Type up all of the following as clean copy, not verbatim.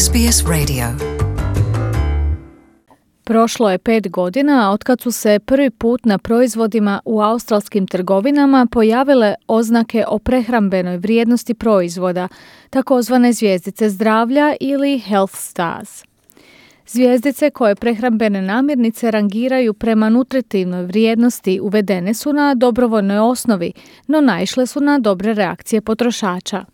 SBS Radio. Prošlo je 5 godina otkad su se prvi put na proizvodima u australskim trgovinama pojavile oznake o prehrambenoj vrijednosti proizvoda, takozvane zvjezdice zdravlja ili Health Stars. Zvjezdice koje prehrambene namirnice rangiraju prema nutritivnoj vrijednosti uvedene su na dobrovoljnoj osnovi, no naišle su na dobre reakcije potrošača.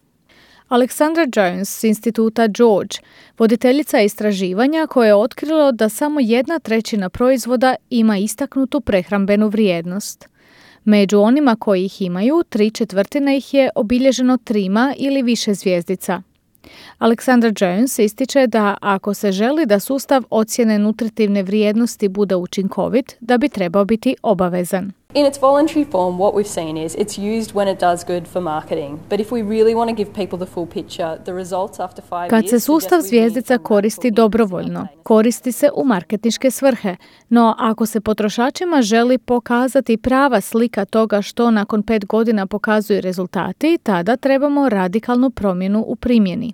Alexandra Jones s instituta George, voditeljica istraživanja koje je otkrilo da samo 1/3 proizvoda ima istaknutu prehrambenu vrijednost. Među onima koji ih imaju, 3/4 ih je obilježeno 3 ili više zvjezdica. Alexandra Jones ističe da ako se želi da sustav ocjene nutritivne vrijednosti bude učinkovit, da bi trebao biti obavezan. In its voluntary form, what we've seen is it's used when it does good for marketing. But if we really want to give people the full picture, the results after 5 years... Kad se sustav zvjezdica koristi dobrovoljno, koristi se u marketinške svrhe. No ako se potrošačima želi pokazati prava slika toga što nakon 5 godina pokazuju rezultati, tada trebamo radikalnu promjenu u primjeni.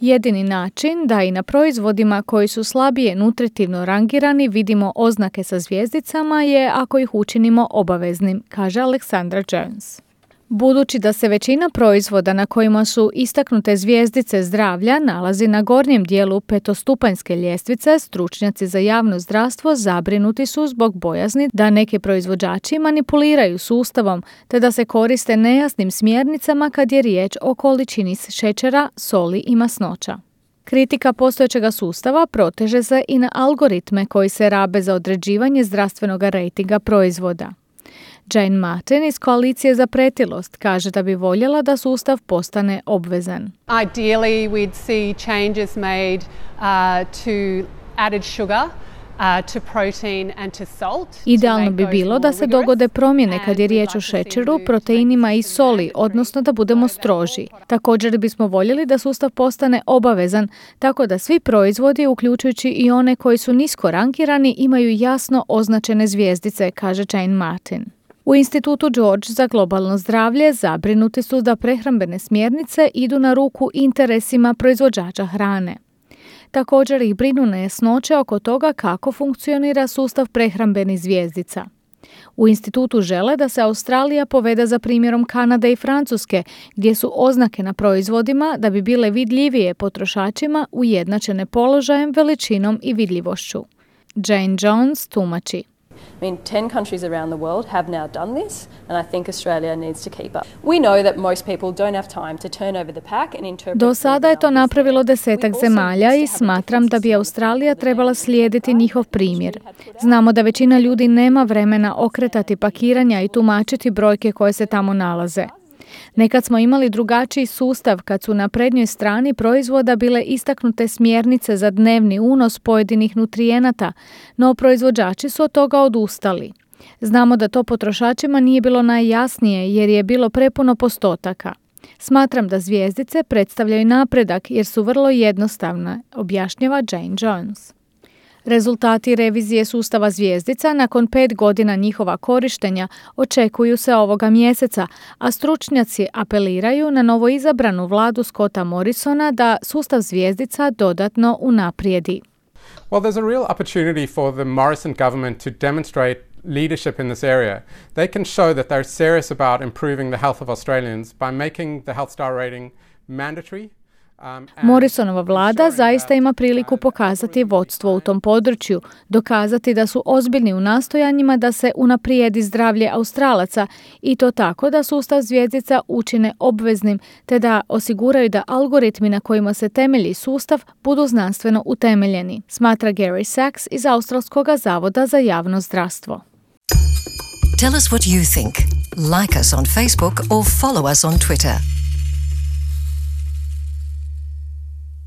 Jedini način da i na proizvodima koji su slabije nutritivno rangirani vidimo oznake sa zvjezdicama je ako ih učinimo obaveznim, kaže Alexandra Jones. Budući da se većina proizvoda na kojima su istaknute zvjezdice zdravlja nalazi na gornjem dijelu petostupanjske ljestvice, stručnjaci za javno zdravstvo zabrinuti su zbog bojazni da neki proizvođači manipuliraju sustavom te da se koriste nejasnim smjernicama kad je riječ o količini šećera, soli i masnoća. Kritika postojećega sustava proteže se i na algoritme koji se rabe za određivanje zdravstvenog rejtinga proizvoda. Jane Martin iz Koalicije za pretilost kaže da bi voljela da sustav postane obvezan. Ideally we'd see changes made to added sugar, to protein and to salt. Idealno bi bilo da se dogode promjene kad je riječ o šećeru, proteinima i soli, odnosno da budemo stroži. Također bismo voljeli da sustav postane obavezan, tako da svi proizvodi, uključujući i one koji su nisko rangirani, imaju jasno označene zvjezdice, kaže Jane Martin. U institutu George za globalno zdravlje zabrinuti su da prehrambene smjernice idu na ruku interesima proizvođača hrane. Također ih brinu nejasnoće oko toga kako funkcionira sustav prehrambenih zvjezdica. U institutu žele da se Australija povede za primjerom Kanade i Francuske, gdje su oznake na proizvodima da bi bile vidljivije potrošačima ujednačene položajem, veličinom i vidljivošću. Jane Jones tumači. I mean, 10 countries around the world have now done this, and I think Australia needs to keep up. We know that most people don't have time to turn over the pack and interpret. Do sada je to napravilo 10 zemalja i smatram da bi Australija trebala slijediti njihov primjer. Znamo da većina ljudi nema vremena okretati pakiranja i tumačiti brojke koje se tamo nalaze. Nekad smo imali drugačiji sustav kad su na prednjoj strani proizvoda bile istaknute smjernice za dnevni unos pojedinih nutrijenata, no proizvođači su od toga odustali. Znamo da to potrošačima nije bilo najjasnije jer je bilo prepuno postotaka. Smatram da zvjezdice predstavljaju napredak jer su vrlo jednostavne, objašnjava Jane Jones. Rezultati revizije sustava zvjezdica nakon 5 godina njihova korištenja očekuju se ovoga mjeseca, a stručnjaci apeliraju na novoizabranu vladu Scotta Morrisona da sustav zvjezdica dodatno unaprijedi. Well, there's a real opportunity for the Morrison government to demonstrate leadership in this area. They can show that they're serious about improving the health of Australians by making the Health Star rating mandatory. Morrisonova vlada zaista ima priliku pokazati vodstvo u tom području, dokazati da su ozbiljni u nastojanjima da se unaprijedi zdravlje Australaca i to tako da sustav zvjezdica učine obveznim te da osiguraju da algoritmi na kojima se temelji sustav budu znanstveno utemeljeni, smatra Gary Sachs iz Australskog zavoda za javno zdravstvo. Tell us what you think. Like us on Facebook or follow us on Twitter.